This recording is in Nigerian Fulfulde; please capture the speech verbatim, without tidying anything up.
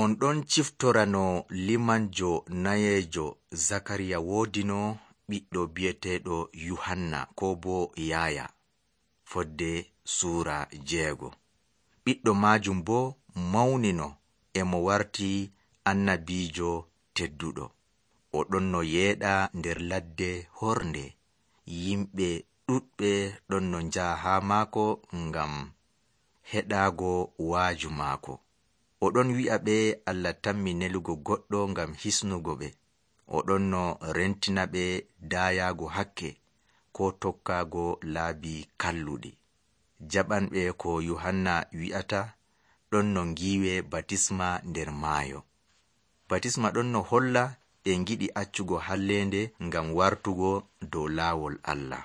On ɗon ciftorano limanjo nayeejo Zakariya woodino ɓiɗɗo bi'eteeɗo Yuhanna ko bo Yaaya, fodde suura jeego. Ɓiɗɗo maajum bo mawnino e mo warti annabiijo tedduɗo. O ɗon no yeeɗa nder ladde hornde. Yimɓe ɗuɗɓe ɗon no njaha haa maako ngam heɗaago waaju maako. O ɗon wi'a ɓe Allah tammi nelugo goɗɗo ngam hisnugo ɓe. O ɗon no rentina ɓe daayaago hakke ko tokkaago laabi kalluɗi. Jaɓanɓe ko Yuhanna wi'ata ɗon no ngiiwe batisma nder maayo. Batisma ɗon no holla ɓe ngiɗi accugo halleende ngam wartugo dow laawol Allah.